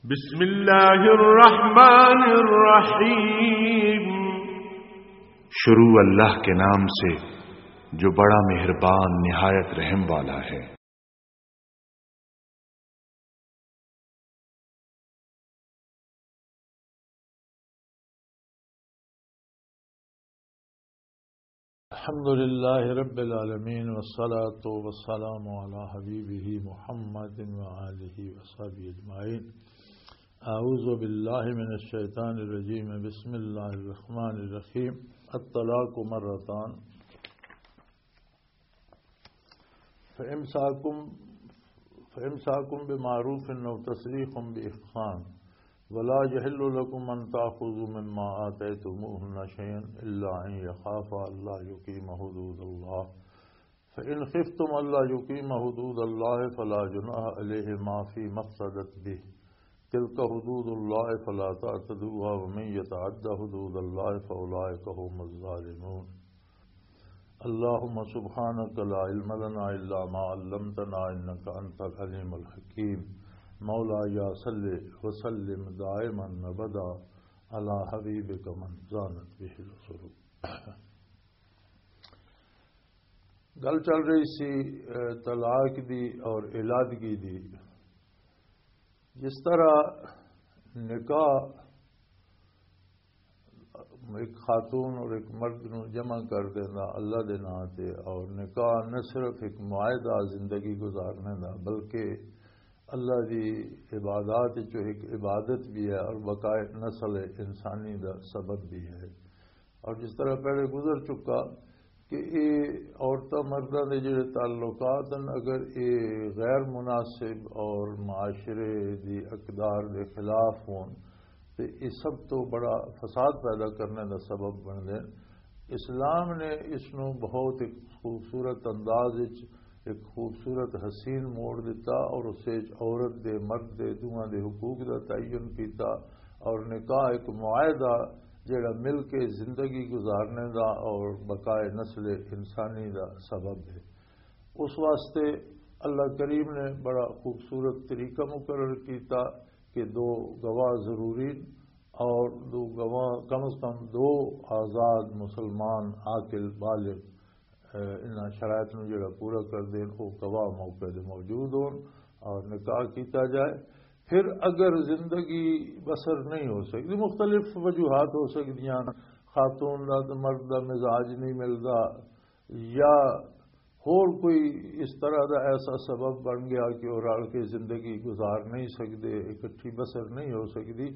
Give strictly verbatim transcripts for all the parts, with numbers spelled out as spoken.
بسم اللہ الرحمن الرحیم۔ شروع اللہ کے نام سے جو بڑا مہربان نہایت رحم والا ہے۔ الحمد لله رب العالمين، والصلاة والسلام على حبيبه محمد وآله وصحبه أجمعين. أعوذ بالله من الشيطان الرجيم. بسم الله الرحمن الرحيم. الطلاق مرتان. فإمساكم، فإمساكم بمعروف أو تسريح بإحسان. ولا يحل لكم أن تأخذوا مما آتيتموهن شيئا إلا أن يخافا ألا يقيما حدود الله. فإن خفتم ألا يقيما حدود الله فلا جناح عليهما فيما افتدت به. تلك حدود الله فلا تعتدوها ومن يتعد حدود الله فأولئك هم الظالمون. اللهم سبحانك لا علم لنا إلا ما علمتنا إنك أنت العليم الحكيم. مولاي صل وسلم دائما أبدا على حبيبك من زانت به العصور. گل چل رہی سی، اے، طلاق دی اور علادگی دی۔ جس طرح نکاح ایک خاتون اور ایک مرد نو جمع کر دینا اللہ دے نام تے، اور نکاح نہ صرف ایک معاہدہ زندگی گزارنے دا، بلکہ اللہ دی عبادات وچوں ایک عبادت بھی ہے اور بقائے نسل انسانی دا سبب بھی ہے۔ اور جس طرح پہلے گزر چکا کہ یہ عورتاں مرداں دے جڑے تعلقات ہیں، اگر یہ غیر مناسب اور معاشرے دی اقدار دے خلاف ہون، تے یہ سب تو بڑا فساد پیدا کرنے دا سبب بن دے۔ اسلام نے اس نو بہت ایک خوبصورت انداز وچ، ایک خوبصورت حسین موڑ دتا، اور اس وچ عورت دے، مرد دے، دوواں دے حقوق دا تعین کیتا، اور نکاح ایک معاہدہ جڑا مل کے زندگی گزارنے دا اور بقائے نسل انسانی دا سبب ہے۔ اس واسطے اللہ کریم نے بڑا خوبصورت طریقہ مقرر کیتا کہ دو گواہ ضروری، اور دو گواہ، کم از کم دو آزاد مسلمان عاقل بالغ، اے، انہاں شرائط نوں جڑا پورا کر دین، او گواہ موقع دے موجود ہون اور نکاح کیتا جائے۔ پھر اگر زندگی بسر نہیں ہو سکتی، مختلف وجوہات ہو سکدیاں، خاتون دا تے مرد دا مزاج نہیں ملدا، یا ہور کوئی اس طرح دا ایسا سبب بن گیا کہ وہ رل کے زندگی گزار نہیں سکدے، اکٹھی بسر نہیں ہو سکدی،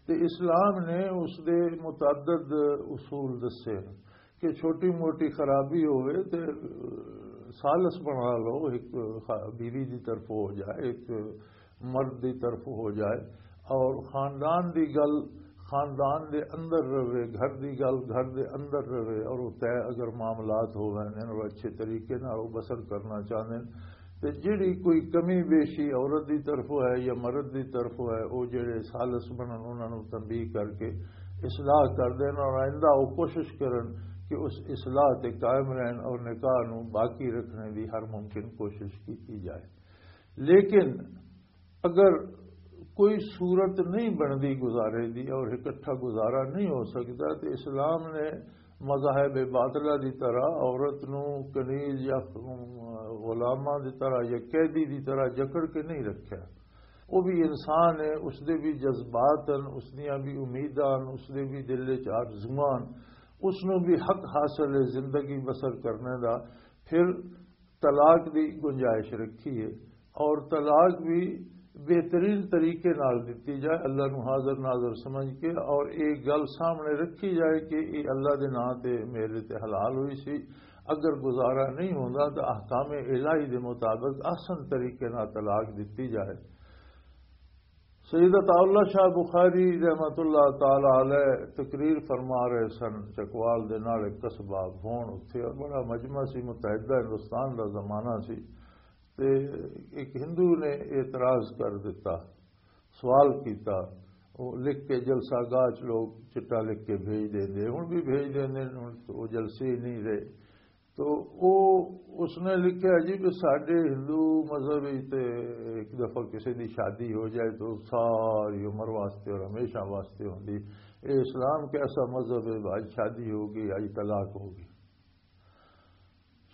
تے اسلام نے اس دے متعدد اصول دسے کہ چھوٹی موٹی خرابی ہوئے تے سالس بنا لو، ایک خا-، بیوی دی طرف ہو جائے، ایک مرد دی طرف ہو جائے، اور خاندان دی گل خاندان دے اندر رہے، گھر دی گل گھر دے اندر رہے، اور وہ طے اگر معاملات ہوون اور اچھے طریقے نال وہ بسر کرنا چاہندے، تے جڑی کوئی کمی بیشی عورت دی طرف ہے یا مرد دی طرف ہے، وہ جڑے سالس بنن، انہاں نوں تنبیہ کر کے اصلاح کر دین، اور آئندہ وہ کوشش کرن کہ اس اصلاح تے قائم رہن اور نکاح نوں باقی رکھنے دی ہر ممکن کوشش کی جائے۔ لیکن اگر کوئی صورت نہیں بندی گزارے دی اور اکٹھا گزارا نہیں ہو سکتا، تو اسلام نے مذاہب باطلہ دی طرح عورت نو کنیز یا غلامہ دی طرح یا قیدی دی طرح جکڑ کے نہیں رکھا۔ وہ بھی انسان ہے، اس دے بھی جذبات ہیں، اس دیاں بھی امیداں ہیں، اس دے بھی دل وچ آرزواں ہیں، اس نو بھی حق حاصل ہے زندگی بسر کرنے دا۔ پھر طلاق دی گنجائش رکھی ہے، اور طلاق بھی بہترین طریقے نال دتی جائے، اللہ نو حاضر ناظر سمجھ کے، اور ایک گل سامنے رکھی جائے کہ یہ اللہ دے نام تے میرے تے حلال ہوئی سی، اگر گزارا نہیں ہوندا تو احکام الہی دے مطابق احسن طریقے نال طلاق دتی جائے۔ سید عطا اللہ شاہ بخاری رحمت اللہ تعالی علیہ تقریر فرما رہے سن، چکوال دے نال ایک قصبہ ہون اتھے، اور بڑا مجمع سی، متحدہ ہندوستان دا زمانہ سی۔ تے ایک ہندو نے اعتراض کر دیتا، سوال کیتا۔ وہ لکھ کے جلسہ گاہ چ لوگ چٹا لکھ کے بھیج دیندے، ہن بھی بھیج دیندے، ہن تو وہ جلسے ہی نہیں رہے۔ تو او، اس نے لکھیا جی کہ ساڈے ہندو مذہب وچ تے ایک دفعہ کسی دی شادی ہو جائے تو ساری عمر واسطے اور ہمیشہ واسطے ہوندی۔ اے اسلام کیسا مذہب ہے بھائی، شادی ہو گئی، آئی طلاق ہو گئی۔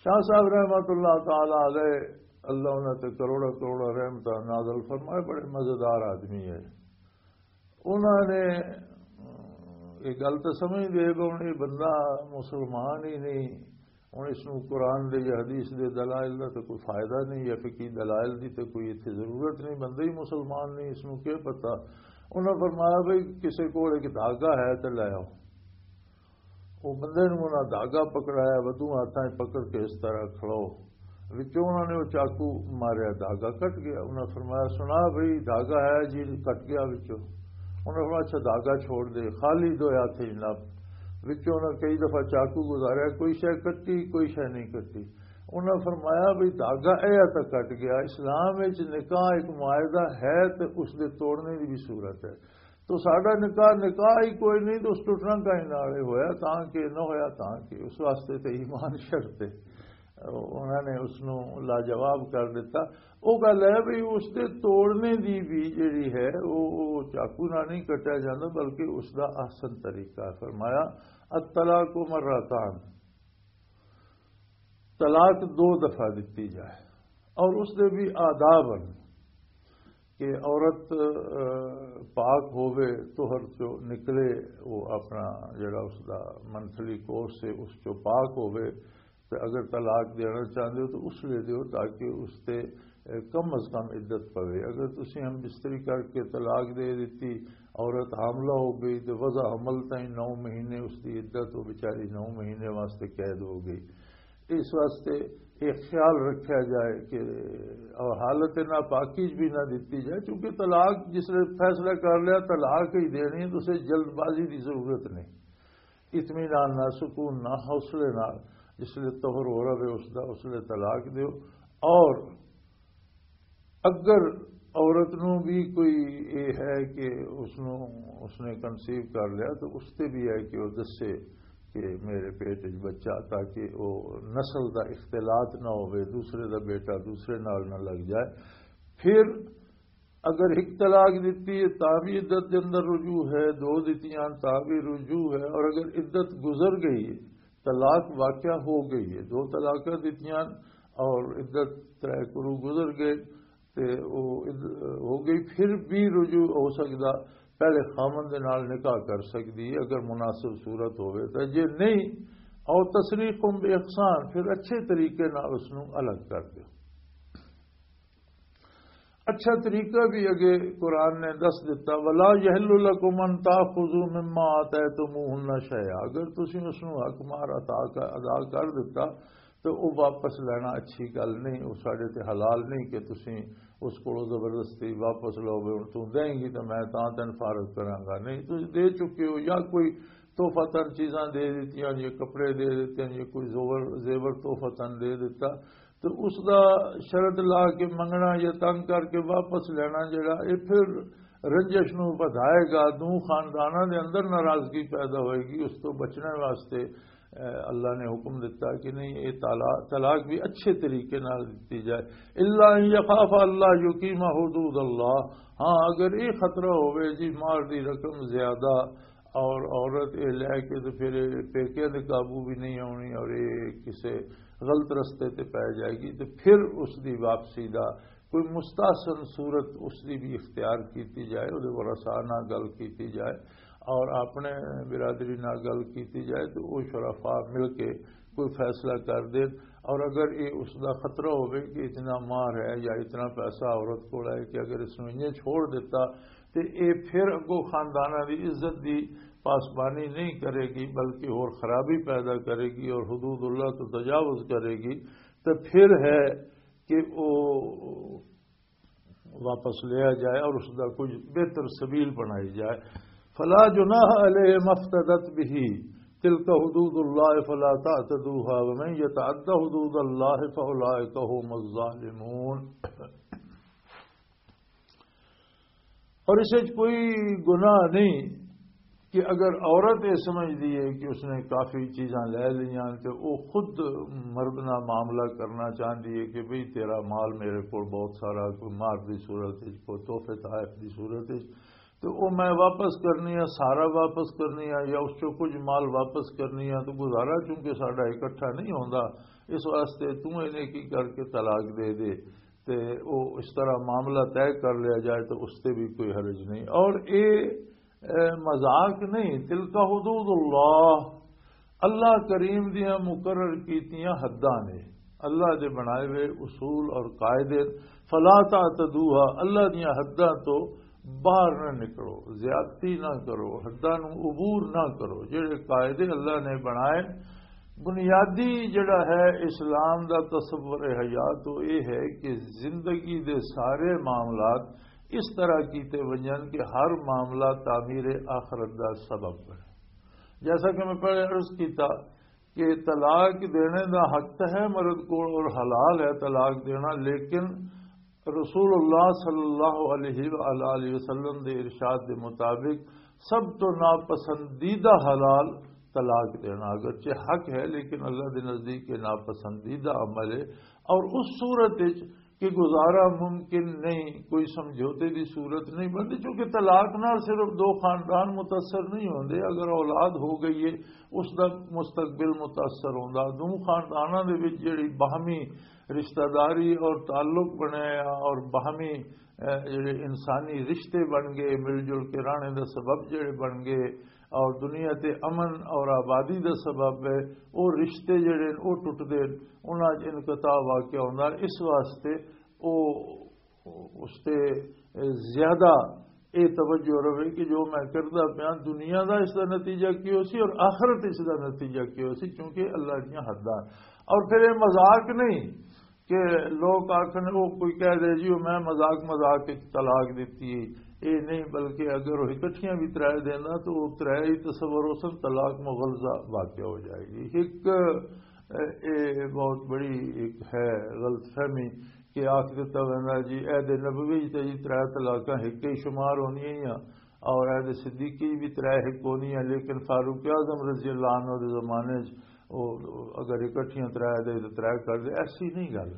شاہ صاحب رحمت اللہ تعالی علیہ، اللہ انہاں تے کروڑا کروڑا رحمتاں نازل فرمائے، بڑے مزیدار آدمی ہے۔ انہاں نے، اے گل تے سمجھ دے کہ ہن اے بندہ مسلمان ہی نہیں، ہن اس نوں قرآن دے یا حدیث دے دلائل دا تے کوئی فائدہ نہیں، یا فقہی دلائل دی تے کوئی اتھے ضرورت نہیں، بندہ ہی مسلمان نہیں، اس نوں کیا پتہ۔ انہاں فرمایا، بھئی، کسے کول ایک دھاگا ہے تے لے آؤ۔ وہ بندے نوں انہاں دھاگا پکڑایا، ودوں ہاتھاں 'چ پکڑ کے اس طرح کھڑو۔ وچوں انہاں نے وہ چاقو ماریا، دھاگا کٹ گیا۔ انہاں فرمایا، "سنا بھئی، دھاگا ہے جی، کٹ گیا وچوں۔" انہاں فرمایا، "اچھا، دھاگا چھوڑ دے، خالی دو ہاتھ ہی نپ۔" وچوں انہاں کئی دفعہ چاقو گزاریا، کوئی شے کٹی، کوئی شے نہیں کٹی۔ انہاں فرمایا، "بھئی، دھاگا اے تک کٹ گیا۔" اسلام وچ نکاح ایک معاہدہ ہے تے اس دے توڑنے دی بھی صورت ہے۔ تو ساڈا نکاح، نکاح ہی کوئی نہیں، تو اس ٹوٹنا کہیں نال ہی ہویا، تاں کہ نہ ہویا، تاں کہ اس واسطے تے ایمان شرط ہے۔ انہاں نے اس نوں لاجواب کر دتا۔ وہ گل ہے بھی اس دے توڑنے دی بھی جڑی ہے، وہ، وہ چاقو نال نہیں کٹیا جاندا، بلکہ اس دا احسن طریقہ ہے۔ فرمایا، "الطلاق مرتان"، طلاق دو دفعہ دتی جائے، اور اس دے بھی آداب ہیں کہ عورت، آ، پاک ہووے، طہر چو نکلے، وہ اپنا جڑا اس دا منتھلی کورس ہے، اس چو پاک ہووے، تے اگر طلاق دینا چاہندے ہو تو اس لیے دیو، تاکہ اس تے، آ، کم از کم عدت پوے۔ اگر تسی ہم بستری کر کے طلاق دے دیتی، عورت حاملہ ہو گئی، تے وضع حمل تائیں نو مہینے اس دی عدت، وہ بیچاری نو مہینے واسطے قید ہو گئی۔ اس واسطے یہ خیال رکھا جائے کہ اور حالت ناپاکی بھی نہ دتی جائے، کیونکہ طلاق جس نے فیصلہ کر لیا، طلاق ہی دینی ہے، تو اسے جلد بازی کی ضرورت نہیں۔ اطمینان نہ، سکون نہ، حوصلے نہ، جس لیے طہر ہو رہا ہے اس دا، اس لیے طلاق دیو۔ اور اگر عورت نوں بھی کوئی یہ ہے کہ اس نوں، اس نے کنسیو کر لیا، تو اس تے بھی ہے کہ وہ دسے کہ میرے پیٹ وچ بچہ، تاکہ وہ نسل دا اختلاط نہ ہوئے، دوسرے دا بیٹا دوسرے نال نہ لگ جائے۔ پھر اگر ایک طلاق دتی ہے، تاں بھی عدت دے اندر رجوع ہے، دو دتیاں تاں بھی رجوع ہے، اور اگر عدت گزر گئی ہے، طلاق واقع ہو گئی ہے، دو طلاقاں دتیاں اور عدت طے کرو گزر گئے، تے وہ عد-، ہو گئی، پھر بھی رجوع ہو سکدا، پہلے خامن دے نال نکاح کر سکدی ہے اگر مناسب صورت ہوئے، تے جے نہیں، او تسریح بے احسان، پھر اچھے طریقے نال اس نوں الگ کر دیو۔ اچھا طریقہ بھی اگے قرآن نے دس دیتا، "ولا یحل لکم ان تاخذوا مما آتیتموہن شیئا"، اگر تسی اس نوں حق مار عطا کر، ادا کر دیتا، تو وہ واپس لینا اچھی گل نہیں، وہ ساڈے تے حلال نہیں کہ تسی اس کو زبردستی واپس لو، بھی ہن تو دیں گی تو میں تاں تین فارغ کراں گا۔ نہیں، تسی دے چکے ہو، یا کوئی تحفہ تن چیزاں دے دیتیاں، یا کپڑے دے دیتے ہیں، یا کوئی زیور، زیور تحفہ تن دے دیتا، تو اس دا شرط لا کے منگنا یا تنگ کر کے واپس لینا جڑا، یہ پھر رنجش نو ودھائے گا، دو خانداناں دے اندر ناراضگی پیدا ہوئے گی۔ اس تو بچنے واسطے، اے، اللہ نے حکم دیتا کہ نہیں، یہ طلا-، طلاق بھی اچھے طریقے نال دتی جائے۔ الا ان یخاف اللہ یقیم حدود اللہ، ہاں، اگر یہ خطرہ ہوئے جی مال دی رقم زیادہ اور عورت یہ لے کے تو پھر پیکے دے قابو بھی نہیں آنی اور یہ کسے غلط رستے تے پی جائے گی، تو پھر اس دی واپسی دا کوئی مستحسن صورت اس دی بھی اختیار کیتی جائے، وہ ورثاء نال گل کیتی جائے اور اپنے برادری نال گل کیتی جائے، تو وہ شرفاء مل کے کوئی فیصلہ کر دین۔ اور اگر یہ اس دا خطرہ ہوئے کہ اتنا مہر ہے یا اتنا پیسہ عورت کو ہے کہ اگر اس نے انہیں چھوڑ دیتا، تے اے پھر اگوں خانداناں دی عزت دی پاسبانی نہیں کرے گی، بلکہ ہور خرابی پیدا کرے گی اور حدود اللہ تو تجاوز کرے گی، تے پھر ہے کہ وہ واپس لیا جائے اور اس دا کچھ بہتر سبیل بنائی جائے۔ فلا جناح علیہ مفتدت به، تلک حدود اللہ فلا تعتدوها ومن یتعد حدود اللہ فاولئک هم الظالمون۔ اور اس وچ کوئی گناہ نہیں کہ اگر عورت یہ سمجھدی ہے کہ اس نے کافی چیزاں لے لیاں تو وہ خود مرد نال معاملہ کرنا چاہندی ہے کہ بھئی تیرا مال میرے کول بہت سارا، کوئی مہر دی صورت وچ، کوئی تحفے تحائف دی صورت وچ، تو وہ میں واپس کرنی ہے، سارا واپس کرنی ہے یا اس چوں کچھ مال واپس کرنی ہے، تو گزارا چونکہ ساڈا اکٹھا نہیں ہوندا، اس واسطے تو انہیں کی کر کے طلاق دے دے۔ تے وہ اس طرح معاملہ طے کر لیا جائے تو اس تے بھی کوئی حرج نہیں۔ اور اے اے مذاق نہیں، تلک حدود اللہ، اللہ کریم دیاں مقرر کیتیاں حداں نے، اللہ دے بنائے ہوئے اصول اور قاعدے، فلا تعتدوها، اللہ دیاں حداں تو باہر نہ نکلو، زیادتی نہ کرو، حداں نو عبور نہ کرو۔ جڑے قاعدے اللہ نے بنائے، بنیادی جڑا ہے اسلام دا تصور حیات، وہ یہ ہے کہ زندگی دے سارے معاملات اس طرح کیتے ونجن کہ ہر معاملہ تعمیر آخرت دا سبب بنے۔ جیسا کہ میں پہلے عرض کیتا کہ طلاق دینے دا حق تو ہے مرد کو اور حلال ہے طلاق دینا، لیکن رسول اللہ صلی اللہ علیہ وآلہ وسلم دے ارشاد دے مطابق سب تو ناپسندیدہ حلال طلاق دینا، اگرچہ حق ہے لیکن اللہ دے نزدیک یہ ناپسندیدہ عمل ہے۔ اور اس صورت وچ کہ گزارا ممکن نہیں، کوئی سمجھوتے دی صورت نہیں بنتی، چونکہ طلاق نال صرف دو خاندان متاثر نہیں ہوندے، اگر اولاد ہو گئی ہے اس دا مستقبل متاثر ہوندا۔ دو خانداناں دے وچ جڑی باہمی رشتہ داری اور تعلق بنیا اور باہمی، اے، جڑے انسانی رشتے بن گئے، مل جل کے رہنے دا سبب جڑے بن گئے اور دنیا تے امن اور آبادی دا سبب ہے، وہ رشتے جڑے وہ ٹوٹ دے، انہاں چ انقطاع واقع ہوندا۔ اس واسطے وہ اس تے زیادہ اے توجہ رہے کہ جو میں کردا پیاں دنیا دا اس دا نتیجہ کی ہو سی اور آخرت اس دا نتیجہ کی ہو سی، کیونکہ اللہ دیاں حداں۔ اور پھر یہ مذاق نہیں کہ لوگ آکھن، وہ کوئی کہہ دے جی، وہ میں مذاق مذاق وچ طلاق دتی ہے، یہ نہیں، بلکہ اگر وہ اکٹھیاں بھی ترائے دینا تو وہ ترائے ہی تصور ہو سن، طلاق مغلظہ واقع ہو جائے گی۔ ایک، اے، اے بہت بڑی ایک ہے غلط فہمی کہ آکھ دتا ویندا جی عہد نبوی تے جی ترائے طلاقاں ایک ہی شمار ہونی ہیں، اور عہد صدیقی بھی ترائے ایک ہونی ہیں، لیکن فاروق اعظم رضی اللہ عنہ دے زمانے چ وہ اگر اکٹھیاں ترائے دے تو ترائے کر دے، ایسی نہیں گل۔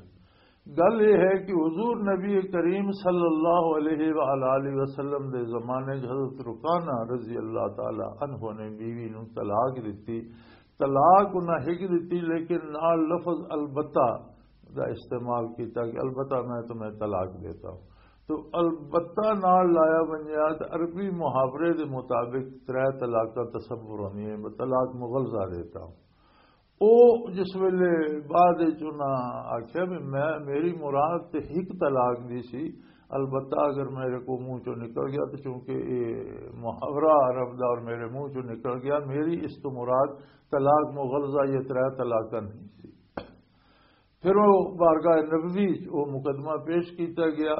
گل یہ ہے کہ حضور نبی کریم صلی اللہ علیہ وآلہ وسلم دے زمانے چ حضرت رکانہ رضی اللہ تعالی عنہ نے بیوی نو طلاق دتی۔ طلاق انہاں ہک دتی، لیکن نال لفظ البتہ دا استعمال کیتا کہ البتہ میں تمہیں طلاق دیتا ہوں۔ تو البتہ نال لایا ونجیا تے عربی محاورے دے مطابق ترے طلاقاں تصور ہوندی ہے، میں طلاق مغلظہ دیتا ہوں۔ او جس ویلے بعد وچ انہاں آکھیا بھی میں، میری مراد تے ہک طلاق دی سی، البتہ اگر میرے کو منہ چوں نکل گیا تو چونکہ یہ محاورہ عرب دا اور میرے منہ چوں نکل گیا، میری اس تو مراد طلاق مغلظہ یا ترے طلاقاں نہیں سی۔ پھر وہ بارگاہ نبوی وچ وہ مقدمہ پیش کیتا گیا،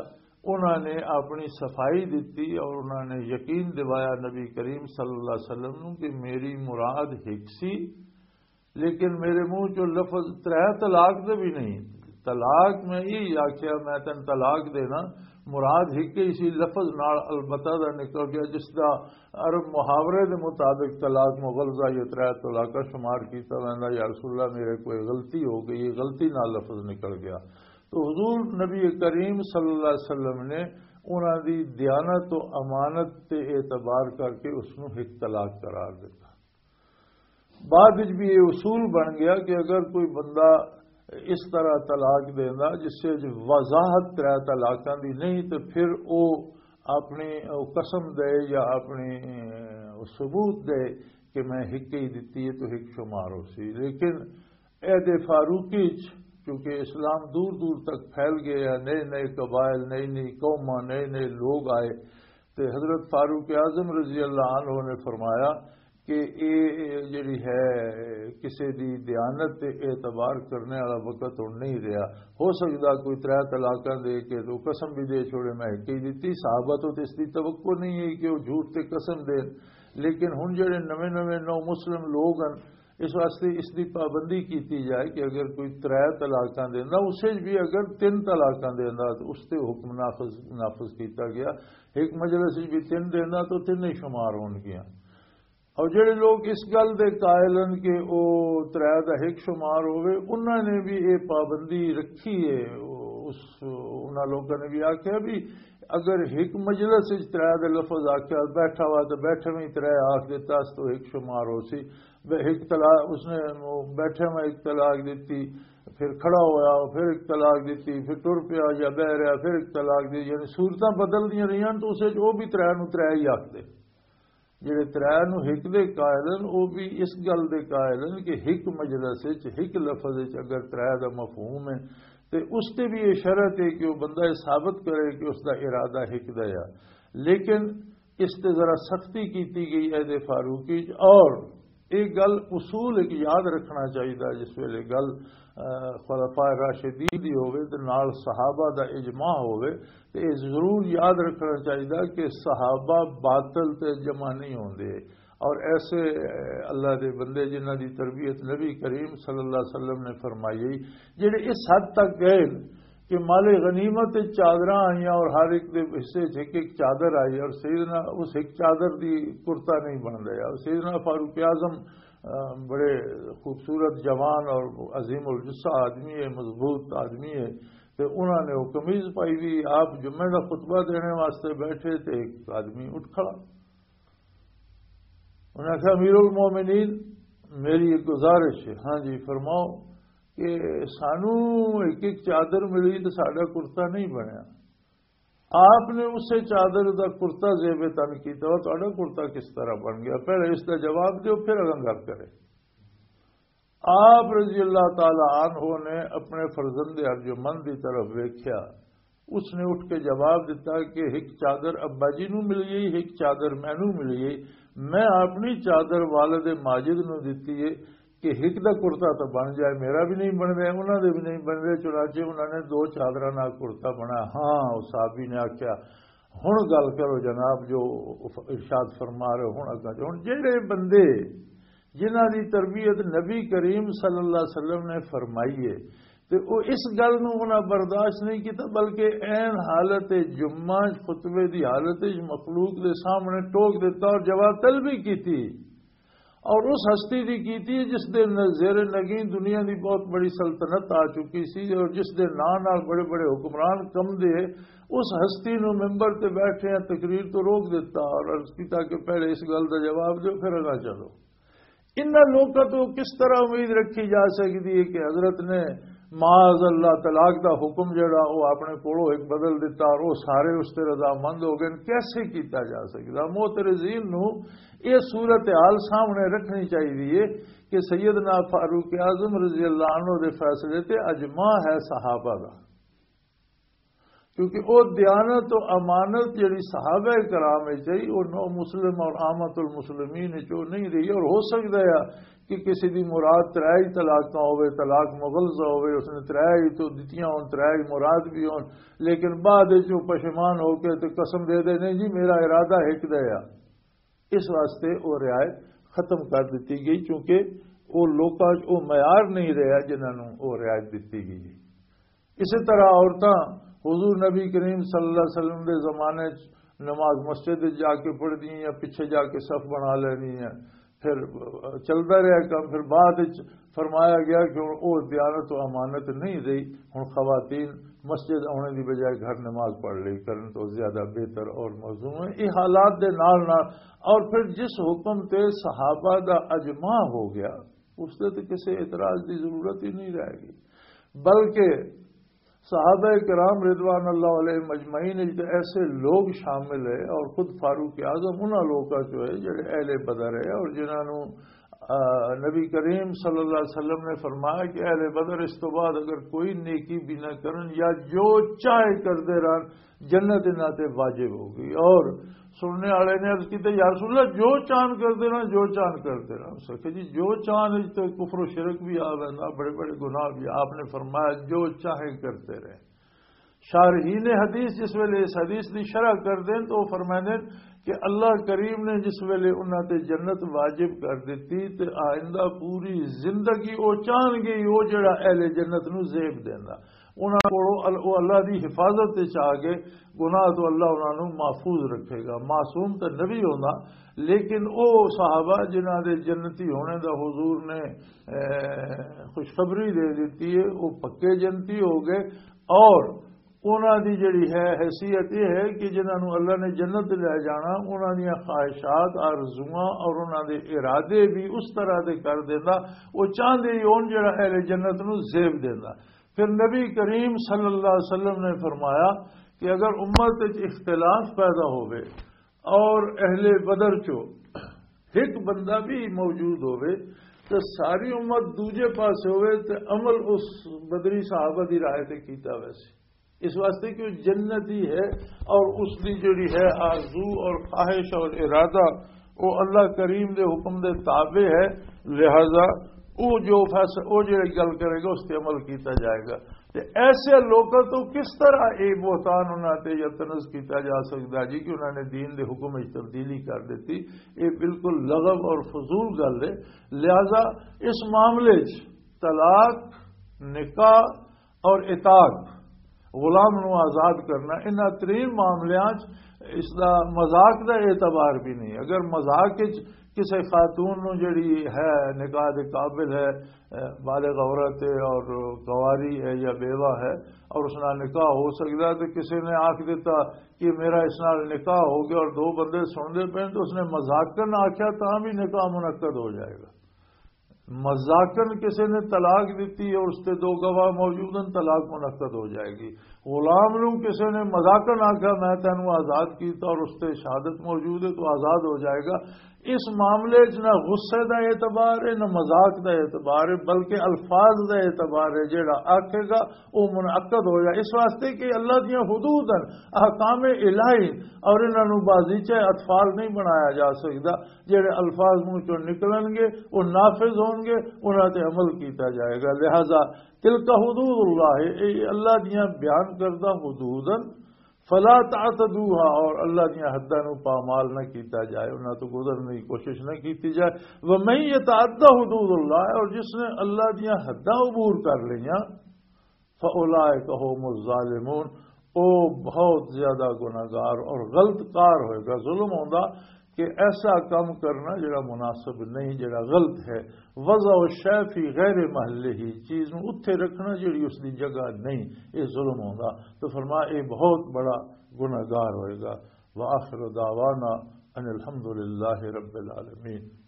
انہاں نے اپنی صفائی دتی اور انہاں نے یقین دوایا نبی کریم صلی اللہ علیہ وسلم نو کہ میری مراد ہک سی، لیکن میرے منہ چوں لفظ ترے طلاق دے بھی نہیں۔ طلاق میں یہ آخیا، میں تین طلاق دینا، مراد ہک ہی سی، لفظ نال البتہ دا نکل گیا، جس دا عرب محاورے دے مطابق طلاق مغلظہ یا ترے طلاقاں شمار کیتا ویندا۔ یا رسول اللہ، میرے کوئی غلطی ہو گئی، یہ غلطی نال لفظ نکل گیا۔ تو حضور نبی کریم صلی اللہ علیہ وسلم نے انہاں دی دیانت و امانت تے اعتبار کر کے اس نو ہک طلاق قرار دیتا۔ بعد وچ بھی یہ اصول بن گیا کہ اگر کوئی بندہ اس طرح طلاق دیندا جس وچ وضاحت ترے طلاقاں دی نہیں، تو پھر او اپنی او قسم دے یا اپنی، اے، ثبوت دے کہ میں ہک ہی دتی ہے تو ہک شمار ہو سی۔ لیکن عہد فاروقی چ کیونکہ اسلام دور دور تک پھیل گیا، نئے نئے قبائل، نئی نئی قوماں، نئے نئے لوگ آئے، تے حضرت فاروق اعظم رضی اللہ عنہ نے فرمایا کہ اے جڑی ہے کسے دی دیانت تے اعتبار کرنے والا وقت ہن نہیں رہیا۔ ہو سکدا کوئی ترے طلاقاں دے کے تو قسم بھی دے چھوڑے، میں ایک ہی دتی۔ صحابہ تو اس دی توقع نہیں ہے کہ وہ جھوٹ تے قسم دین، لیکن ہن جڑے نویں نویں نو مسلم لوگ ہیں، اس واسطے اس دی پابندی کیتی جائے کہ اگر کوئی ترے طلاقاں دیندا، اسے بھی اگر تین طلاقاں دیندا تو اس تے حکم نافذ، نافذ کیتا گیا۔ ایک مجلس وچ بھی تین دیندا تو تین ہی شمار ہون گیا۔ اور جڑے لوگ اس گل دے قائل ہیں کہ او ترے دا ہک شمار ہووے، انہاں نے بھی یہ پابندی رکھی ہے۔ اس، انہاں لوگوں نے بھی آکھیا بھی اگر ہک مجلس وچ ترے دے لفظ آکھیا، بیٹھا ہوا تے بیٹھے میں ترے آکھ دیتا، اس تو ہک شمار ہو سی۔ بے-، ہک طلاق، اس نے بیٹھے میں ایک طلاق دیتی، پھر کھڑا ہویا، پھر ایک طلاق دیتی، پھر ٹر پیا یا بہ رہا، پھر ایک طلاق دی، یعنی صورتاں بدل دیاں رہیاں، تو اسے جو بھی ترے نو ترے ہی آکھ دے۔ جڑے ترے نو ہک دے قائل ہن، او بھی اس گل دے قائل ہن کہ ہک مجلس وچ، ہک لفظ وچ اگر ترے دا مفہوم ہے، تے اس تے بھی یہ شرط ہے کہ وہ بندہ یہ ثابت کرے کہ اس دا ارادہ ہک دا ہے۔ لیکن اس تے ذرا سختی کیتی گئی عہد فاروقی چ، اور ایک گل اصول ایک یاد رکھنا چاہیے، جس ویلے گل، آ، خلفاء راشدین دی ہووے تے نال صحابہ دا اجماع ہووے، تے یہ ضرور یاد رکھنا چاہیے کہ صحابہ باطل تے جمع نہیں ہوندے۔ اور ایسے، آ، اللہ دے بندے جنہاں دی تربیت نبی کریم صلی اللہ علیہ وسلم نے فرمائی، جڑے اس حد تک گئے کہ مال غنیمت وچ چادراں آئیاں اور ہر ایک دے حصے وچ ایک ایک چادر آئی، اور سیدنا اس ایک چادر دی کرتا نہیں بن رہا۔ اور سیدنا فاروق اعظم، آ، بڑے خوبصورت جوان اور عظیم الجثہ آدمی ہے، مضبوط آدمی ہے، تے انہاں نے وہ قمیض پائی ہوئی۔ آپ جمعے دا خطبہ دینے واسطے بیٹھے تے ایک آدمی اٹھ کھڑا۔ انہاں کہا، "امیر المومنین، میری ایک گزارش ہے۔" "ہاں جی، فرماؤ۔" "کہ سانو ایک ایک چادر ملی تے ساڈا کرتا نہیں بنیا۔" آپ نے اسے چادر دا کرتا زیب تن کیتا، اور تہاڈا کرتا کس طرح بن گیا؟ پہلے اس دا جواب دیو، پھر اگاں گل کرے۔ آپ رضی اللہ تعالی عنہ نے اپنے فرزند ارجمند دی طرف ویکھیا، اس نے اٹھ کے جواب دیتا کہ ایک چادر ابا جی نو مل گئی، ایک چادر مینوں مل گئی۔ میں اپنی چادر والد ماجد نو دتی ہے کہ ایک دا کرتا تو بن جائے، میرا بھی نہیں بن رہا، انہاں دے بھی نہیں بن رہے۔ چنانچہ انہاں نے دو چادراں نال کرتا بنا۔ ہاں، اس صحابی نے آکھیا، "ہن گل کرو جناب، جو ارشاد فرما رہے ہو، ہن اگاں جو۔" ہن جڑے بندے جنہاں دی تربیت نبی کریم صلی اللہ علیہ وسلم نے فرمائی ہے، تے او اس گل نوں انہاں برداشت نہیں کیتا، بلکہ عین حالت جمعہ خطبے دی حالت وچ مخلوق دے سامنے ٹوک دیتا اور جواب طلبی کیتی۔ اور اس ہستی دی کیتی ہے جس دے ن-، زیر نگین دنیا دی بہت بڑی سلطنت آ چکی سی، اور جس دے نام نال بڑے بڑے حکمران کم دے، اس ہستی نو ممبر تے بیٹھے ہیں تقریر تو روک دیتا اور عرض کیتا کہ پہلے اس گل دا جواب دیو، پھر اگاں چلو۔ انہاں لوکاں تو کس طرح امید رکھی جا سکدی ہے کہ حضرت نے معاذ اللہ طلاق دا حکم جڑا وہ اپنے کولوں ایک بدل دیتا اور وہ سارے اس تے رضامند ہو گئے؟ کیسے کیتا جا سکدا؟ معترضین نو یہ صورتحال سامنے رکھنی چاہیے کہ سیدنا فاروق اعظم رضی اللہ عنہ دے فیصلے تے اجماع ہے صحابہ دا، کیونکہ او دیانت و امانت جڑی صحابہ کرام وچ آئی، او نو مسلم اور عامت المسلمین وچ او نہیں رہی۔ اور ہو سکدا ہے کہ کسی دی مراد ترائی طلاقاں ہوے، طلاق مغلظہ ہوے، اس نے ترائی تو دتیاں ہون، ترائی مراد بھی ہون، لیکن بعد وچ او پشیمان ہو کے تے قسم دے دے، "نہیں جی، میرا ارادہ ہک دا ہے۔" اس واسطے وہ رعایت ختم کر دتی گئی، کیونکہ وہ لوکاں وچ وہ معیار نہیں رہا جنہاں نوں وہ رعایت دتی گئی۔ اسی طرح عورتاں حضور نبی کریم صلی اللہ علیہ وسلم دے زمانے وچ نماز مسجد وچ جا کے پڑھدی ہیں یا پیچھے جا کے صف بنا لینی ہیں، پھر چلدا رہا کم۔ پھر بعد وچ فرمایا گیا کہ ہن او دیانت و امانت نہیں رہی، ہن خواتین مسجد آنے دی بجائے گھر نماز پڑھ لئی کرن تو زیادہ بہتر اور موزوں ہے۔ یہ حالات دے نال نال اور پھر جس حکم تے صحابہ دا اجماع ہو گیا، اس تے تے کسے اعتراض دی ضرورت ہی نہیں رہ گئی، بلکہ صحابہ کرام رضوان اللہ علیہم اجمعین وچ تے ایسے لوگ شامل ہے، اور خود فاروق اعظم انہاں لوکاں چوں ہے جڑے اہل بدر ہے، اور جنہاں نوں، آ، نبی کریم صلی اللہ علیہ وسلم نے فرمایا کہ اہل بدر اس تو بعد اگر کوئی نیکی بھی نہ کرن یا جو چاہے کردے رہن، جنت انہاں تے واجب ہو گئی۔ اور سننے والے نے عرض کی، "یا رسول اللہ، جو چاہن کردے رہن، جو چاہن کردے رہن۔" اس آکھیا، "جی، جو چاہن وچ تے کفر و شرک بھی آ ویندا، بڑے بڑے گناہ بھی۔" آپ نے فرمایا، "جو چاہیں کرتے رہیں۔" شارحین حدیث جس ویلے اس حدیث دی شرح کر دین تو وہ فرمائے دین کہ اللہ کریم نے جس ویلے انہاں تے جنت واجب کر دیتی تے آئندہ پوری زندگی وہ چاہن گے وہ جڑا اہل جنت نو زیب دیندا۔ انہاں کولوں ال-، او اللہ دی حفاظت وچ آ گئے، گناہ تو اللہ انہاں نوں محفوظ رکھے گا۔ معصوم تے نبی ہوندا، لیکن او صحابہ جنہاں دے جنتی ہونے دا حضور نے، اے، خوشخبری دے دتی ہے، او پکے جنتی ہو گئے۔ اور انہاں دی جڑی ہے حیثیت یہ ہے کہ جنہاں نوں اللہ نے جنت لے جانا، انہاں دیاں خواہشات، آرزواں اور انہاں دے ارادے بھی اس طرح دے کر دیندا، وہ چاہندے ہی ہون جڑا اہل جنت نوں زیب دیندا۔ پھر نبی کریم صلی اللہ علیہ وسلم نے فرمایا کہ اگر امت وچ اختلاف پیدا ہوئے اور اہل بدر چو ایک بندہ بھی موجود ہوئے تو ساری امت دوجے پاسے ہوئے تو عمل اس بدری صحابہ دی رائے تے کیتا ویسے، اس واسطے کہ وہ جنتی ہے اور اس دی جڑی ہے آرزو اور خواہش اور ارادہ، وہ اللہ کریم دے حکم دے تابع ہے۔ لہذا وہ جو فیصلہ، وہ جڑی گل کرے گا، اس تے عمل کیتا جائے گا۔ تے ایسے لوکاں تو کس طرح یہ بہتان انہاں تے یا طنز کیتا جا سکدا جی کہ انہاں نے دین دے حکم وچ تبدیلی کر دتی؟ یہ بالکل لغو اور فضول گل ہے۔ لہذا اس معاملے چ طلاق، نکاح اور عتاق، غلام نو آزاد کرنا، انہاں ترین معاملیاں چ اس دا مذاق دا اعتبار بھی نہیں۔ اگر مذاق وچ کسے خاتون نو جڑی ہے نکاح دے قابل ہے، اے، بالغ عورت ہے اور کواری ہے یا بیوہ ہے اور اس نال نکاح ہو سکدا ہے، تو کسے نے آکھ دیتا کہ میرا اس نال نکاح ہو گیا اور دو بندے سن دے پے تو اس نے مذاقن آکھیا تاں بھی نکاح منعقد ہو جائے گا۔ مذاقن کسے نے طلاق دتی اور اس تے دو گواہ موجود ہیں، طلاق منعقد ہو جائے گی۔ غلام نو کسے نے مذاقن آکھیا میں تینوں آزاد کیتا اور اس تے شہادت موجود ہے تو آزاد ہو جائے گا۔ اس معاملے چ نہ غصے دا اعتبار ہے نہ مذاق دا اعتبار ہے، بلکہ الفاظ دا اعتبار ہے۔ جیڑا آکھے گا وہ منعقد ہو جائے، اس واسطے کہ اللہ دیاں حدود ہیں، احکام الہی، اور انہاں نوں بازیچہ اطفال نہیں بنایا جا سکدا۔ جڑے الفاظ منہ چوں نکلن گے وہ نافذ ہون گے، انہاں تے عمل کیتا جائے گا۔ لہذا تلک حدود اللہ، اے اللہ دیاں بیان کردہ حدود ہیں، فلا تعتدوها، اور اللہ دیاں حداں نوں پامال نہ کیتا جائے، انہاں تو گزرنے کی کوشش نہ کیتی جائے۔ ومن یتعد حدود اللہ، اور جس نے اللہ دیاں حداں عبور کر لیاں، فَأُولَٰئِكَ هُمُ الظَّالِمُونَ، او بہت زیادہ گناہگار اور غلط کار ہوئے گا۔ ظلم ہوندا کہ ایسا کام کرنا جڑا مناسب نہیں، جڑا غلط ہے۔ وضع الشیء فی غیر محلہ، چیز نو اتھے رکھنا جڑی اس دی جگہ نہیں، یہ ظلم ہوندا۔ تو فرمایا یہ بہت بڑا گناہگار ہوئے گا۔ وآخر دعوانا ان الحمد للہ رب العالمین۔